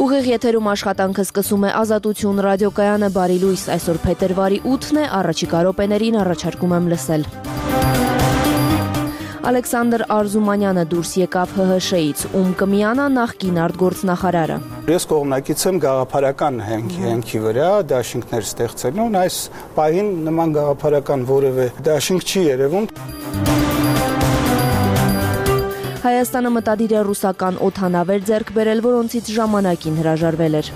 Ուղիղ եթերում աշխատանքը սկսում է Ազատություն ռադիոկայանը, բարի լույս, այսօր փետրվարի 8-ն է, առաջիկա րոպեներին առաջարկում եմ լսել։ Ալեքսանդր Արզումանյանը դուրս եկավ ՀՀՇ-ից, ում կմիանա նախկին արտգործնախարարը։ Ես կողմնակից եմ գաղափարական հենքի վրա դաշինքներ ստեղծելուն, այս պահին նման գաղափարական որևէ դաշինք չի երևում։ Հայաստանը մտադիր է ռուսական օդանավեր ձեռք բերել, որոնցից ժամանակին հրաժարվել էր։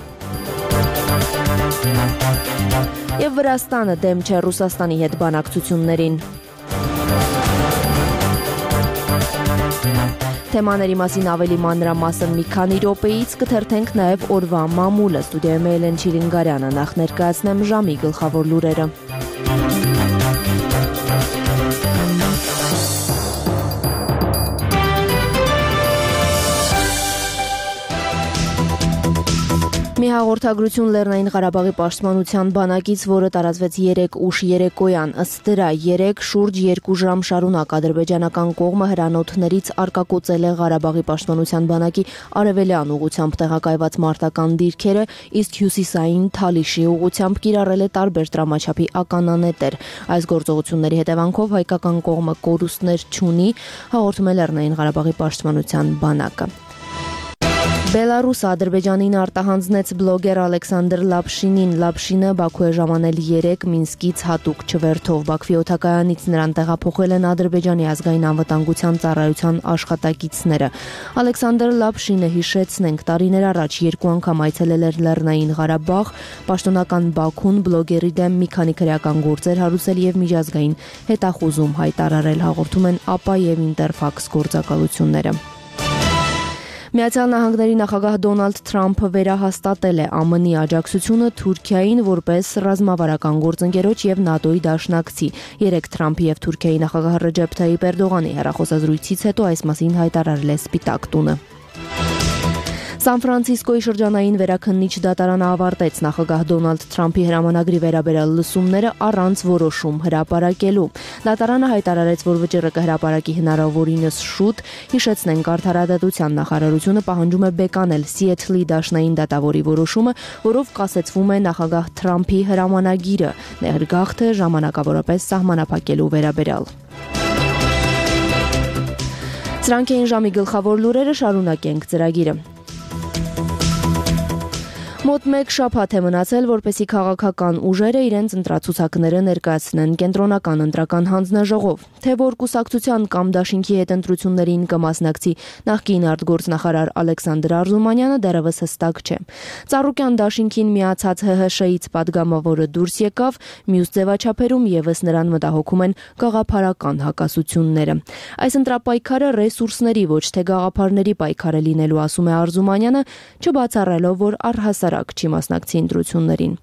Եվ Վրաստանը դեմ չէ Ռուսաստանի հետ բանակցություններին։ Թեմաների մասին ավելի մանրամասն մի քանի րոպեից կթերթենք նաև օրվա մամուլը։ Ստուդիայում է Էլեն Չիլինգարյանը, նախ ներկայացնեմ ժամի գլխավոր լուրերը։ Մի հաղորդագրություն Լեռնային Ղարաբաղի պաշտպանության բանակից, որը տարածվեց 3 ուշ երեկոյան, ըստ դրա 3 շուրջ 2 ժամ շարունակ ադրբեջանական կողմը հրանոթներից արկակոծել է Ղարաբաղի պաշտպանության բանակի արևելյան ուղությամբ տեղակայված մարտական դիրքերը, իսկ հյուսիսային Թալիշի ուղությամբ կիրառել է տարբեր տրամաչափի ականանետեր։ Այս գործողությունների հետևանքով հայկական կողմը կորուստներ չունի, հաղորդում է Լեռնային Ղարաբաղի պաշտպանության բանակը։ Բելարուսը Ադրբեջանին արտահանձնեց բլոգեր Ալեքսանդր Լապշինին։ Լապշինը Բաքու է ժամանել 3 Մինսկից հատուկ չվերթով։ Բաքվի օդակայանից նրան տեղափոխել են Ադրբեջանի ազգային անվտանգության ծառայության աշխատակիցները։ Ալեքսանդր Լապշինը, հիշեցնենք, տարիներ առաջ 2 անգամ այցելել էր Լեռնային Ղարաբաղ, պաշտոնական Բաքուն բլոգերի դեմ մի քանի քրեական գործեր հարուցել եւ միջազգային հետախուզում հայտարարել, հաղորդում են ԱՊԱ եւ Ինտերֆաքս գործակալությունները։ Միացյալ Նահանգների նախագահ Դոնալդ Թրամփը վերահաստատել է ԱՄՆ-ի աջակցությունը Թուրքիային որպես ռազմավարական գործընկերոջ եւ ՆԱՏՕ-ի դաշնակցի։ 3 Թրամփի եւ Թուրքիայի նախագահ Ռեջեփ Թայիփ Էրդողանի հեռախոսազրույցից հետո այս մասին հայտարարել է Սպիտակ տունը։ Սան Ֆրանցիսկոյի շրջանային վերաքննիչ դատարանը ավարտեց նախագահ Դոնալդ Թրամփի հրամանագրի վերաբերյալ լսումները առանց որոշում հրապարակելու։ Դատարանը հայտարարեց, որ վճիռը կհրապարակի հնարավորինս շուտ, հիշեցնենք, Արդարադատության նախարարությունը պահանջում է բեկանել Սիեթլի դաշնային դատավորի որոշումը, որով կասեցվում է նախագահ Թրամփի հրամանագիրը, ներգաղթը ժամանակավորապես սահմանափակելու վերաբերյալ։ Սրանք էին ժամի գլխավոր լուրերը, շարունակենք ծրագիրը։ Մոտ 1 շաբաթ է մնացել, որպեսզի քաղաքական ուժերը իրենց ընտրացուցակները ներկայացնեն կենտրոնական ընտրական հանձնաժողով։ Թե որ կուսակցության կամ դաշինքի հետ ընտրություններին կմասնակցի նախկին արտգործնախարար Ալեքսանդր Արզումանյանը, դեռևս հստակ չէ։ Ծառուկյան դաշինքին միացած ՀՀՇ-ից падգամավորը դուրս եկավ, մյուս ձևաչափերում եւս նրան մտահոգում են գաղափարական հակասությունները։ Այս ընտրապայքարը ռեսուրսների, ոչ թե գաղափարների պայքար է լինելու, ասում է Արզումանյանը, չբացառելով, որ առհասարակ չի մասնակցի ընտրություններին։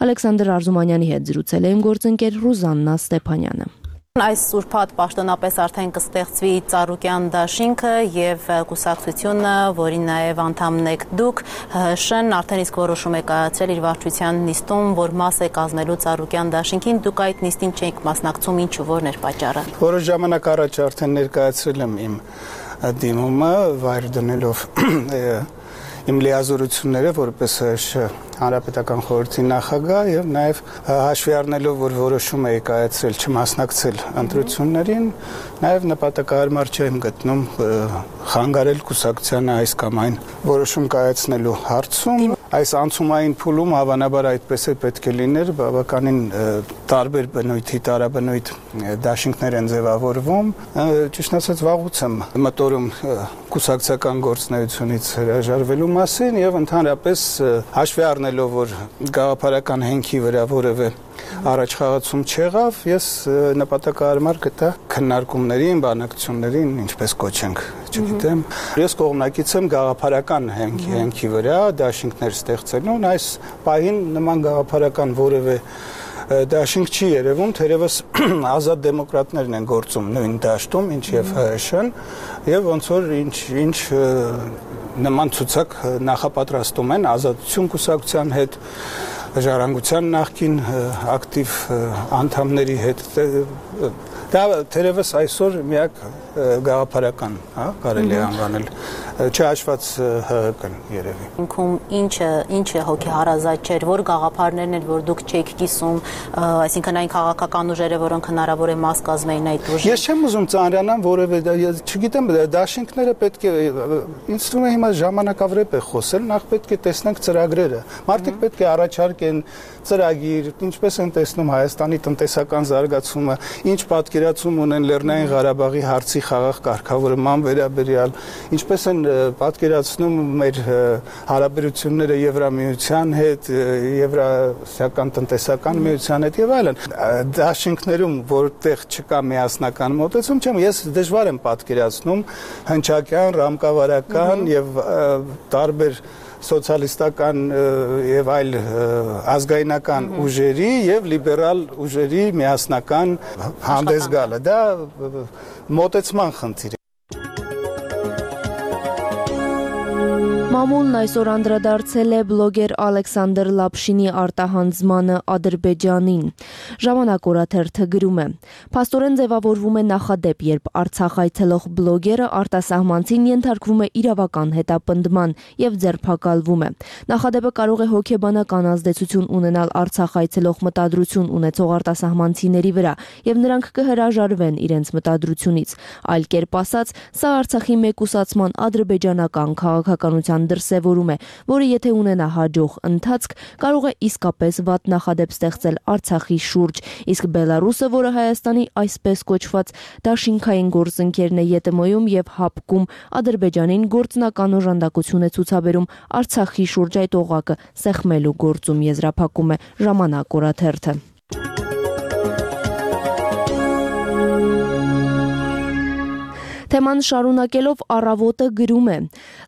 Ալեքսանդր Արզումանյանի հետ զրուցել է իմ գործընկեր Ռուզաննա Ստեփանյանը։ Այս ուրբաթ պաշտոնապես արդեն կստեղծվի Ծառուկյան դաշինքը եւ կուսակցությունը, որի նաեւ անդամն եք դուք, ՀՀՇ-ն արդեն իսկ որոշում է կայացրել իր վարչության նիստում, որ մաս է կազմելու Ծառուկյան դաշինքին, դուք այդ նիստին չեք մասնակցում, ինչու, որն էր պատճառը։ Որոշ ժամանակ առաջ արդեն ներկայացրել եմ իմ դիմումը, վայր դնելով իմ լիազորությունները որպես Հանրապետական խորհրդի նախագահ եւ նաեւ հաշվի առնելով, որ որոշում էի կայացրել չմասնակցել ընտրություններին, նաեւ նպատակահարմար չեմ գտնում խանգարել կուսակցությանը այս կամ այն որոշում կայացնելու հարցում։ Այս անցումային փուլում հավանաբար այդպես է պետք է լիներ, բավականին տարբեր բնույթի տարաբնույթ դաշինքներ են ձևավորվում։ Ճիշտ ասած վաղուց եմ մտորում կուսակցական գործունեությունից հրաժարվելու մասին եւ ընդհանրապես հաշվի առնելով, որ գաղափարական հենքի վրա որևէ առաջխաղացում չեղավ, ես նպատակահարմար գտա քննարկումներին, բանակցություններին, ինչպես կոչենք, չգիտեմ։ Ես կողմնակից եմ գաղափարական հենքի վրա դաշինքներ ստեղծելուն, այս պահին նման գաղափարական որևէ դաշինք չի երևում, թերևս ազատ դեմոկրատներն են գործում նույն դաշտում, ինչ եւ ՀՀՇ-ն, եւ ոնց որ ինչ նման ցուցակ նախապատրաստում են Ազատություն կուսակցության հետ, Ժառանգության նախկին ակտիվ անդամների հետ Դա թերևս այսօր միակ գաղափարական, կարելի է անվանել, չհաշված ՀՀԿ-ն երևի։ Ինքում ինչը հոգեհարազատ չէր, որ գաղափարներն էր, որ դուք չեք կիսում, այսինքն այն քաղաքական ուժերը, որոնք հնարավոր է մաս կազմեին այդ ուժի։ Ես չեմ ուզում ծանրանամ որևէ, չգիտեմ, դաշինքները պետք է, ինձ թվում է հիմա ժամանակավրեպ է խոսել, նախ պետք է տեսնենք ծրագրերը։ Մարդիկ պետք է առաջարկեն ծրագիր, ինչպես են տեսնում Հայաստանի տնտեսական զարգացումը, ինչ պատկերացում ունեն Լեռնային Ղարաբաղի հարցի խաղաղ կարգավորման վերաբերյալ, ինչպես են պատկերացնում մեր հարաբերությունները Եվրամիության հետ, Եվրասիական տնտեսական միության հետ եւ այլն։ Դաշինքներում, որտեղ չկա միասնական մոտեցում, ես դժվար եմ պատկերացնում հնչակյան, ռամկավարական եւ տարբեր սոցիալիստական եւ այլ ազգայնական ուժերի եւ լիբերալ ուժերի միասնական հանդես գալը, դա մոտեցման խնդիր է։ Մամուլն այսօր անդրադարձել է բլոգեր Ալեքսանդր Լապշինի արտահանձմանը Ադրբեջանին։ Ժամանակ օրաթերթը գրում է. Փաստորեն ձևավորվում է նախադեպ, երբ Արցախ այցելող բլոգերը արտասահմանցին ենթարկվում է իրավական հետապնդման եւ ձերբակալվում է։ Նախադեպը կարող է հոգեբանական ազդեցություն ունենալ Արցախ այցելող մտադրություն ունեցող արտասահմանցիների վրա եւ նրանք կհրաժարվեն իրենց մտադրությունից։ Այլ կերպ ասած, սա Արցախի մեկուսացման ադրբեջանական քաղաքականության դրսևորում է, որը եթե ունենա հաջող ընթացք, կարող է իսկապես վատ նախադեպ ստեղծել Արցախի շուրջ, իսկ Բելարուսը, որը Հայաստանի այսպես կոչված դաշինքային գործընկերն է ԵՏՄ-ում եւ ՀԱՊԿ-ում, Ադրբեջանին գործնական օժանդակություն է ցուցաբերում Արցախի շուրջ այդ օղակը սեղմելու գործում, եզրափակում է Ժամանակ օրաթերթը։ Թեման շարունակելով Առավոտը գրում է.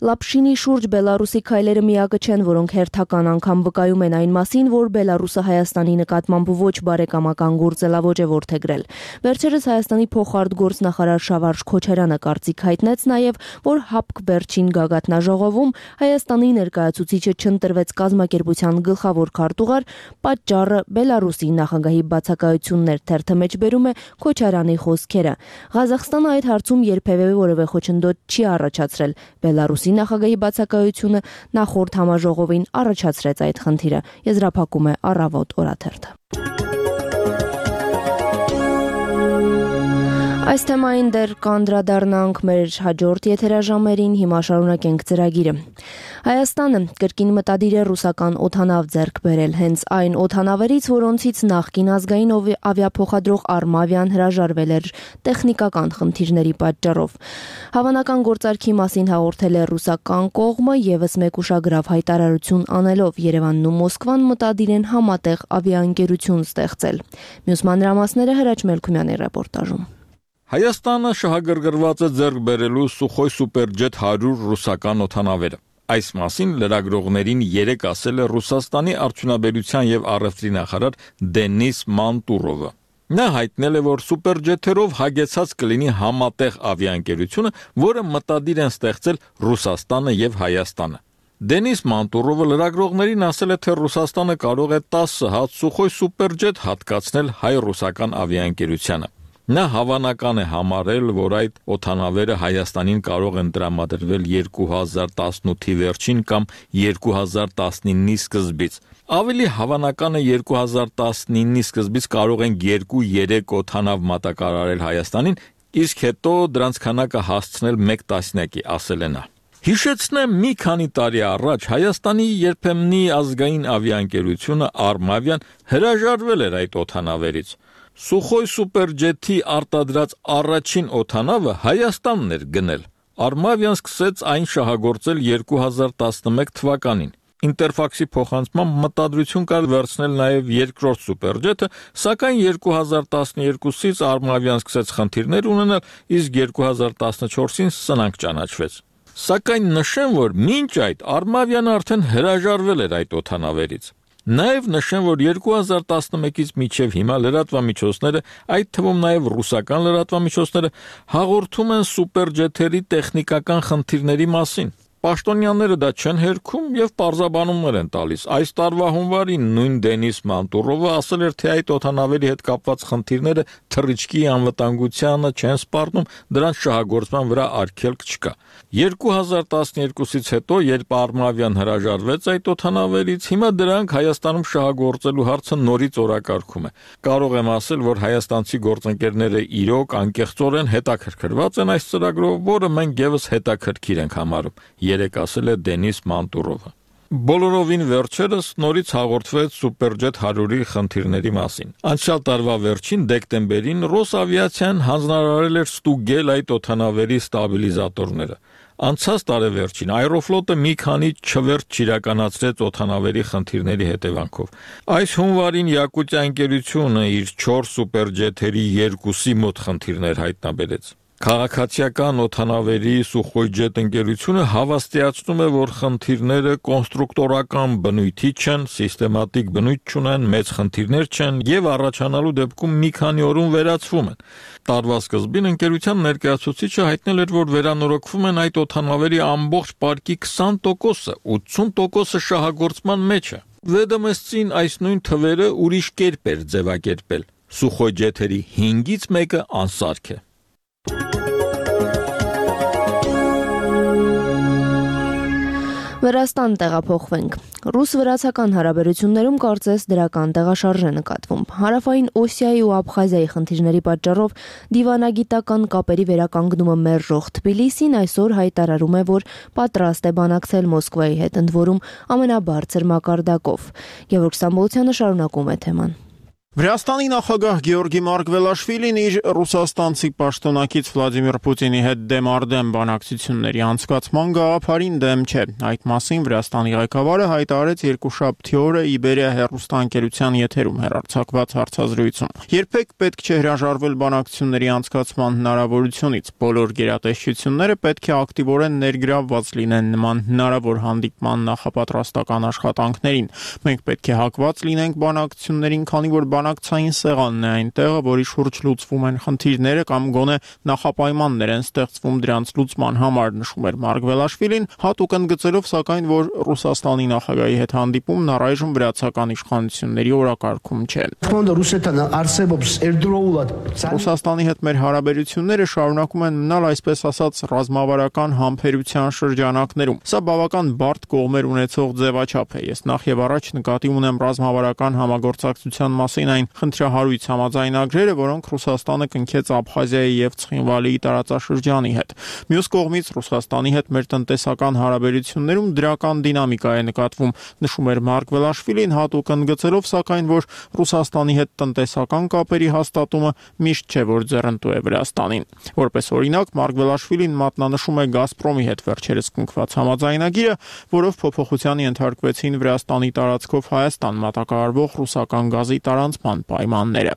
Լապշինի շուրջ Բելարուսի քայլերը միակը չեն, որոնք հերթական անգամ վկայում են այն մասին, որ Բելարուսը Հայաստանի նկատմամբ ոչ բարեկամական գործելավոճ է որդեգրել։ Վերջերս Հայաստանի փոխարտգործնախարար Շավարժ Քոչարյանը կարծիք հայտնեց նաև, որ ՀԱՊԿ վերջին գագաթնաժողովում Հայաստանի ներկայացուցիչը չընտրվեց կազմակերպության գլխավոր քարտուղար, պատճառը Բելարուսի նախագահի բացակայություններ, թերթը մեջ բերում է Քոչարյանի խոսքերը։ Ղազախստանը այդ հարցում երբևէ որևէ խոչընդոտ չի առաջացրել։ Բելարուսի նախագահի բացակայությունը նախորդ համաժողովին առաջացրեց այդ խնդիրը, եզրափակում է Առավոտ օրաթերթը։ Այս թեմային դեռ կանդրադառնանք մեր հաջորդ եթերաժամերին, հիմա շարունակենք ծրագիրը։ Հայաստանը կրկին մտադիր է ռուսական օդանավ ձեռք բերել, հենց այն օդանավերից, որոնցից նախկին ազգային ավիափոխադրող Արմավիան հրաժարվել էր տեխնիկական խնդիրների պատճառով։ Հավանական գործարքի մասին հաղորդել է ռուսական կողմը եւս մեկ ուշագրավ հայտարարություն անելով Երևանն ու Մոսկվան մտադիր են համատեղ ավիաընկերություն ստեղծել։ Մյուս մանրամասները Հրաչ Մելքումյանի ռեպորտաժում։ Հայաստանը շահագրգռված է ձեռք բերելու Սուխոյ Սուպերջեթ 100 ռուսական օդանավերը։ Այս մասին լրագրողներին երեկ ասել է Ռուսաստանի արդյունաբերության եւ առևտրի նախարար Դենիս Մանտուրովը։ Նա հայտնել է, որ սուպերջեթերով հագեցած կլինի համատեղ ավիաընկերությունը, որը մտադիր են ստեղծել Ռուսաստանը եւ Հայաստանը։ Դենիս Մանտուրովը լրագրողներին ասել է, թե Ռուսաստանը կարող է 10 հատ Սուխոյ Սուպերջեթ հատկացնել հայ-ռուսական ավիաընկերությանը։ Նա հավանական է համարել, որ այդ օդանավերը Հայաստանին կարող են տրամադրվել 2018-ի վերջին կամ 2019-ի սկզբից։ Ավելի հավանական է 2019-ի սկզբից կարող են 2-3 օդանավ մատակարարել Հայաստանին, իսկ հետո դրանց քանակը հասցնել 1 տասնյակի, ասել է նա։ Հիշեցնեմ, մի քանի տարի առաջ Հայաստանի երբեմնի ազգային ավիաընկերությունը Արմավիան հրաժարվել էր այդ օդանավերից։ Սուխոյ Սուպերջեթի արտադրած առաջին օդանավը Հայաստանն էր գնել։ Արմավիան սկսեց այն շահագործել 2011 թվականին։ Ինտերֆաքսի փոխանցմամբ մտադրություն կար վերցնել նաև երկրորդ Սուպերջեթը, սակայն 2012-ից Արմավիան սկսեց խնդիրներ ունենալ, իսկ 2014-ին սնանկ ճանաչվեց։ Սակայն նշեմ, որ մինչ այդ Արմավիան արդեն հրաժարվել էր այդ օդանավերից։ Նաև նշեմ, որ 2011-ից մինչև հիմա լրատվամիջոցները, այդ թվում նաև ռուսական լրատվամիջոցները, հաղորդում են սուպերջեթերի տեխնիկական խնդիրների մասին։ Պաշտոնյաները դա չեն հերքում եւ պարզաբանումներ են տալիս։ Այս տարվա հունվարին նույն Դենիս Մանտուրովը ասել էր, թե այդ օդանավերի հետ կապված խնդիրները թռիչքի անվտանգությանը չեն սպառնում, դրանց շահագործման վրա արգելք չկա։ 2012-ից հետո, երբ Արմավյան հրաժարվեց այդ օդանավերից, հիմա դրանք Հայաստանում շահագործելու հարցը նորից օրակարգում է։ Կարող եմ ասել, որ հայաստանցի գործընկերները իրոք անկեղծորեն հետաքրքրված են այս ծրագրով, որը մենք եւս հետաքրքիր ենք համարում, երեք ասել է Դենիս Մանտուրովը։ Բոլորովին վերջերս նորից հաղորդվեց Սուպերջեթ 100-ի խնդիրների մասին։ Անցյալ տարվա վերջին դեկտեմբերին Ռոսավիացիան հանձնարարել էր ստուգել այդ օդանավերի ստաբիլիզատորները։ Անցած տարեվերջին Aeroflot-ը մի քանի չվերջ իրականացրեց օդանավերի խնդիրների հետևանքով։ Այս հունվարին Յակուտիա ընկերությունը իր 4 սուպերջեթերի 2-ի մոտ խնդիրներ հայտնաբերեց։ Քաղաքացիական օդանավերի Սուխոյջետ ընկերությունը հավաստիացնում է, որ խնդիրները կոնստրուկտորական բնույթի չեն, սիստեմատիկ բնույթ չունեն, մեծ խնդիրներ չեն եւ առաջանալու դեպքում մի քանի օրում վերացվում են։ Տարվա սկզբին ընկերության ներկայացուցիչը հայտնել էր, որ վերանորոգվում են այդ օդանավերի ամբողջ պարկի 20%-ը, 80%-ը շահագործման մեջ է։ Վեդոմստին այս նույն թվերը ուրիշ կերպ էր ձևակերպել։ Սուխոյջեթերի 5-ից մեկը անսարք է։ Վրաստան տեղափոխվենք։ Ռուս-վրացական հարաբերություններում կարծես դրական տեղաշարժ է նկատվում։ Հարավային Օսիայի ու Աբխազիայի խնդիրների պատճառով դիվանագիտական կապերի վերականգնումը մերժող Թբիլիսին այսօր հայտարարում է, որ պատրաստ է բանակցել Մոսկվայի հետ, ընդ որում ամենաբարձր մակարդակով։ Գևորգ Ստամբոլցյանը շարունակում է թեման։ Վրաստանի նախագահ Գեորգի Մարգվելաշվիլին իր ռուսաստանցի պաշտոնակից Վլադիմիր Պուտինի հետ դեմ բանակցությունների անցկացման գաղափարին դեմ չէ։ Այդ մասին Վրաստանի ղեկավարը հայտարարեց երկուշաբթի օրը Իբերիա հեռուստաընկերության եթերում հեռարձակված հարցազրույցում։ Երբեք պետք չէ հրաժարվել բանակցությունների անցկացման հնարավորությունից։ Բոլոր գերատեսչությունները պետք է ակտիվորեն ներգրավված լինեն նման հնարավոր հանդիպման նախապատրաստական աշխատանքներին։ Մենք պետք է հակված լինենք բանակցություններին, քանի որ բանակցային սեղանն է այն տեղը, որի շուրջ լուծվում են խնդիրները կամ գոնե նախապայմաններ են ստեղծվում դրանց լուծման համար, նշում էր Մարգվելաշվիլին, հատուկ ընդգծելով սակայն, որ Ռուսաստանի նախագահի հետ հանդիպումն առայժմ վրացական իշխանությունների օրակարգում չէ։ Ռուսաստանի հետ մեր հարաբերությունները շարունակում են մնալ այսպես ասած ռազմավարական համբերության շրջանակներում։ Սա բավական բարդ կողմեր ունեցող ձևաչափ է։ Ես նախ եւ առաջ նկատի ունեմ ռազմավարական համագործակցության մասին այն խնդրահարույց համաձայնագրերը, որոնք Ռուսաստանը կնքեց Աբխազիայի եւ Ցխինվալիի տարածաշրջանի հետ։ Մյուս կողմից Ռուսաստանի հետ մեր տնտեսական հարաբերություններում դրական դինամիկա է նկատվում, նշում էր Մարգվելաշվիլին, հատուկ ընդգծելով սակայն, որ Ռուսաստանի հետ տնտեսական կապերի հաստատումը միշտ չէ, որ ձեռնտու է Վրաստանին։ Որպես օրինակ, Մարգվելաշվիլին մատնանշում է Գազպրոմի հետ վերջերս կնքված համաձայնագիրը, որով փոփոխության ենթարկվեցին Վրաստանի տարածքով Հայաստան մատակարարվող ռուսական գազի տարանցման պայմանները։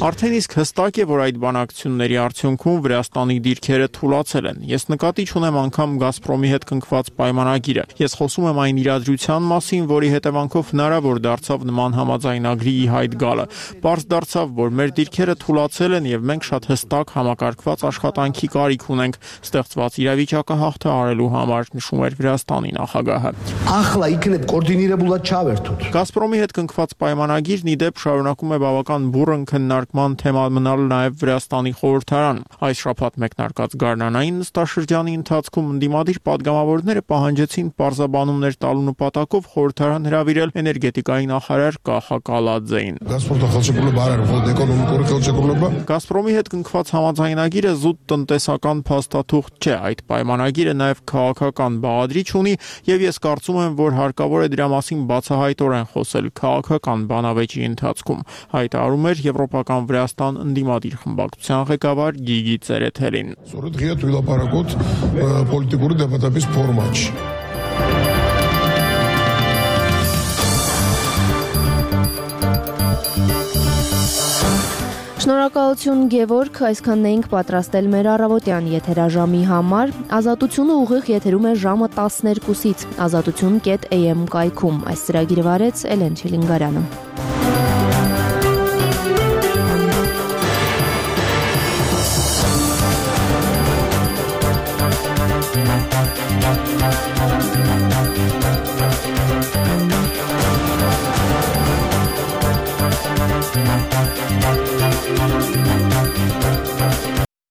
Արդեն իսկ հստակ է, որ այդ բանակցությունների արդյունքում Վրաստանի դիրքերը թուլացել են։ Ես նկատի չունեմ անգամ Գազպրոմի հետ կնքված պայմանագիրը։ Ես խոսում եմ այն իրադրության մասին, որի հետևանքով հնարավոր դարձավ նման համաձայնագրի ի հայտ գալը։ Պարզ դարձավ, որ մեր դիրքերը թուլացել են եւ մենք շատ հստակ համակարգված աշխատանքի կարիք ունենք ստեղծված իրավիճակը հաղթահարելու համար, նշում էր Վրաստանի նախագահը։ Գազպրոմի հետ կնքված պայմանագիրն ի դեպ շարունակում է բավական բուռն քննարկման թեմա մնալ նաև Վրաստանի խորհրդարանում։ Այս շաբաթ մեկնարկած գարնանային նստաշրջանի ընթացքում ընդդիմադիր պատգամավորները պահանջեցին պարզաբանումներ տալու նպատակով խորհրդարան հրավիրել էներգետիկայի նախարար Կախա Կալաձեին։ Գազպրոմի հետ կնքված համաձայնագիրը զուտ տնտեսական փաստաթուղթ չէ, այդ պայմանագիրը նաև քաղաքական բաղադրիչ ունի եւ ես կարծում եմ, որ հարկավոր է դրա մասին բացահայտորեն խոսել քաղաքական բանավեճի ընթացքում, հայտարարում էր Եվրոպական Վրաստան ընդդիմադիր խմբակցության ղեկավար Գիգի Ցերեթելին։ Շնորհակալություն Գևորգ, այսքանն էինք պատրաստել մեր առավոտյան եթերաժամի համար։ Ազատությունը ուղիղ եթերում է ժամը 12-ից, azatutun.am կայքում։ Այս ծրագիրը վարեց Էլեն Չելինգարյանը։